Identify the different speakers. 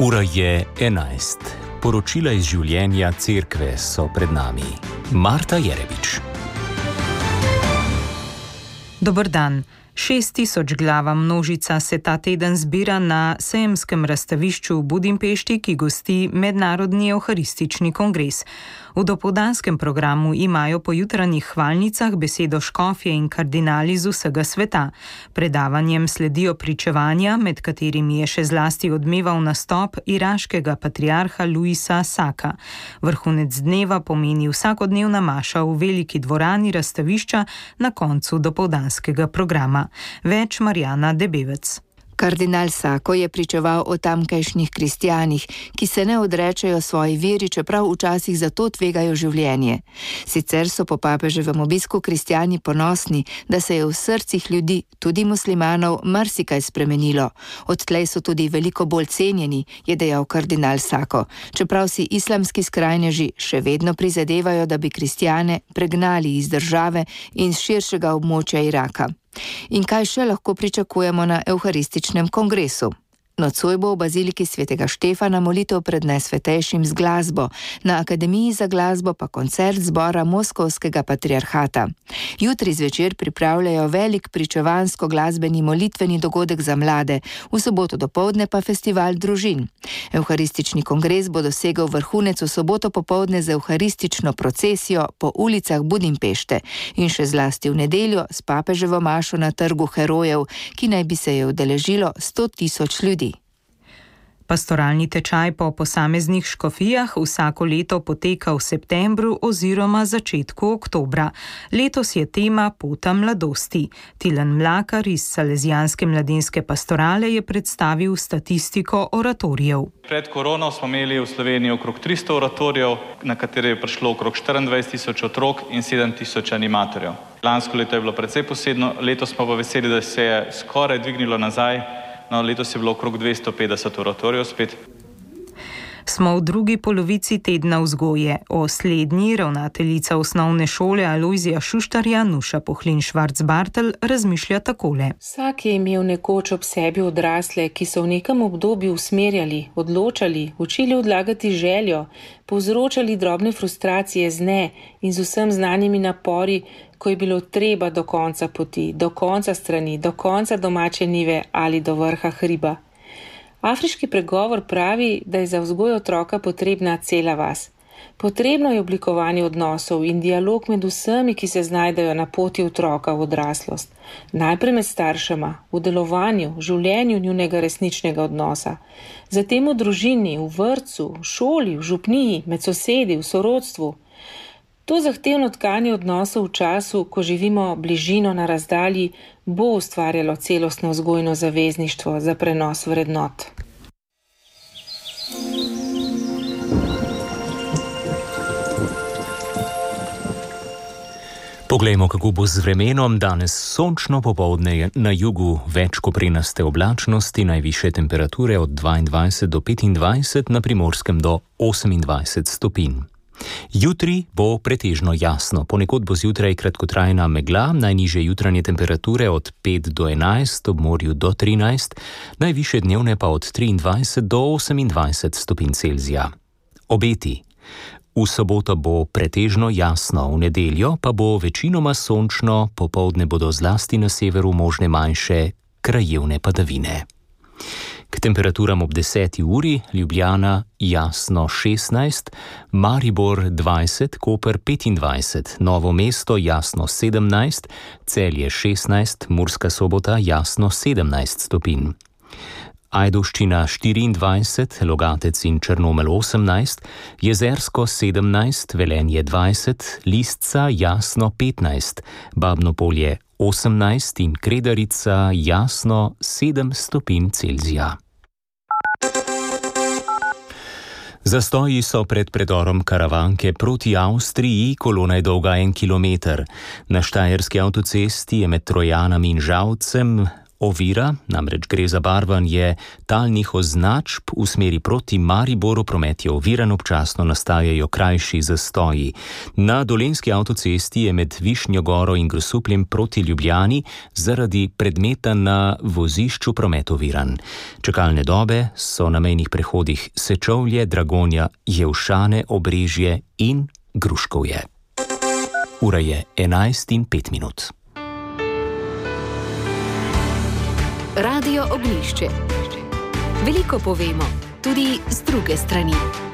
Speaker 1: Ura je 11. Poročila iz življenja cerkve so pred nami. Marta Jerebič.
Speaker 2: Dober dan. 6000 glava množica se ta teden zbira na sejemskem razstavišču v Budimpešti, ki gosti Mednarodni evharistični kongres. V dopoldanskem programu imajo po jutranjih hvalnicah besedo škofje in kardinali z vsega sveta. Predavanjem sledijo pričevanja, med katerimi je še zlasti odmeval nastop iraškega patriarha Luisa Saka. Vrhunec dneva pomeni vsakodnevna maša v veliki dvorani razstavišča na koncu dopoldanskega programa. Več Marjana Debevec.
Speaker 3: Kardinal Sako je pričeval o tamkajšnjih kristjanih, ki se ne odrečajo svoji veri, čeprav včasih zato tvegajo življenje. Sicer so po papeževem obisku kristjani ponosni, da se je v srcih ljudi, tudi muslimanov, marsikaj spremenilo. Odtlej so tudi veliko bolj cenjeni, je dejal kardinal Sako, čeprav si islamski skrajneži še vedno prizadevajo, da bi kristjane pregnali iz države in z širšega območja Iraka. In kaj še lahko pričakujemo na evharističnem kongresu? Nocoj bo v baziliki svetega Štefana molitev pred najsvetejšim z glasbo, na Akademiji za glasbo pa koncert zbora Moskovskega patriarhata. Jutri zvečer pripravljajo velik pričevansko-glasbeni molitveni dogodek za mlade, v soboto dopoldne pa festival družin. Evharistični kongres bo dosegel vrhunec v soboto popoldne z evharistično procesijo po ulicah Budimpešte in še zlasti v nedeljo s papeževo mašo na trgu herojev, ki naj bi se je udeležilo 100 000 ljudi.
Speaker 2: Pastoralni tečaj po posameznih škofijah vsako leto poteka v septembru oziroma začetku oktobra. Letos je tema Pota mladosti. Tilen Mlakar iz Salezijanske mladinske pastorale je predstavil statistiko oratorijev.
Speaker 4: Pred korono smo imeli v Sloveniji okrog 300 oratorijev, na katere je prišlo okrog 24 000 otrok in 7 000 animatorjev. Lansko leto je bilo precej posebno, letos smo pa veseli, da se je skoraj dvignilo nazaj. No, letos je bilo okrog 250 oratorijev spet.
Speaker 2: Smo v drugi polovici tedna vzgoje. O slednji ravnateljica osnovne šole Alojzija Šuštarja Nuša Pohlin-Švarc-Bartel razmišlja takole.
Speaker 5: Vsak je imel nekoč ob sebi odrasle, ki so v nekem obdobju usmerjali, odločali, učili odlagati željo, povzročali drobne frustracije z ne in z vsem znanimi napori, ko je bilo treba do konca poti, do konca strani, do konca domače njive ali do vrha hriba. Afriški pregovor pravi, da je za vzgoj otroka potrebna cela vas. Potrebno je oblikovanje odnosov in dialog med vsemi, ki se znajdejo na poti otroka v odraslost. Najprej med staršema, v delovanju, v življenju njunega resničnega odnosa. Zatem v družini, v vrtcu, v šoli, v župniji, med sosedi, v sorodstvu. To zahtevno tkanje odnosov v času, ko živimo bližino na razdalji, bo ustvarjalo celostno vzgojno zavezništvo za prenos vrednot.
Speaker 1: Poglejmo, kako bo z vremenom. Danes sončno, popoldne na jugu več koprenaste oblačnosti, najvišje temperature od 22 do 25, na Primorskem do 28 stopinj. Jutri bo pretežno jasno, ponekod bo zjutraj kratkotrajna megla, najnižje jutranje temperature od 5 do 11, ob morju do 13, najvišje dnevne pa od 23 do 28 stopinj Celzija. Obeti. V soboto bo pretežno jasno, v nedeljo pa bo večinoma sončno, popoldne bodo zlasti na severu možne manjše krajevne padavine. K temperaturam ob 10. uri Ljubljana jasno 16, Maribor 20, Koper 25, Novo mesto jasno 17, Celje 16, Murska Sobota jasno 17 stopinj. Ajdovščina 24, Logatec in Črnomelj 18, Jezersko 17, Velenje 20, Lisca jasno 15, Babno Polje 18 in Kredarica jasno 7 stopinj Celzija. Zastoji so pred predorom Karavanke proti Avstriji, kolona je dolga 1 kilometer. Na štajerski avtocesti je med Trojanami in Žalcem ovira, namreč gre za barvanje talnih označb v smeri proti Mariboru, promet je oviran, občasno nastajajo krajši zastoji. Na Dolenjski avtocesti je med Višnjo Goro in Grosupljem proti Ljubljani zaradi predmeta na vozišču promet oviran. Čakalne dobe so na mejnih prehodih Sečovlje, Dragonja, Jevšane, Obrežje in Gruškovje. Ura je 11:05.
Speaker 6: Radio Ognjišče. Veliko povemo, tudi z druge strani.